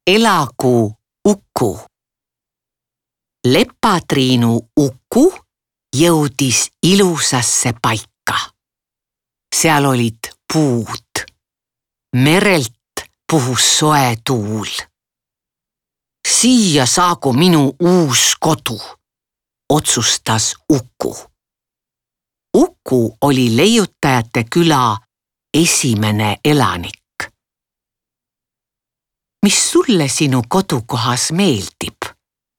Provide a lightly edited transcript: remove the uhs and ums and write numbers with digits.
Elagu Uku. Lepatriinu Uku jõudis ilusasse paika. Seal olid puud. Merelt puhus soe tuul. Siia saagu minu uus kodu, otsustas Uku. Uku oli leiutajate küla esimene elanik. Mis sulle sinu kodukohas meeldib?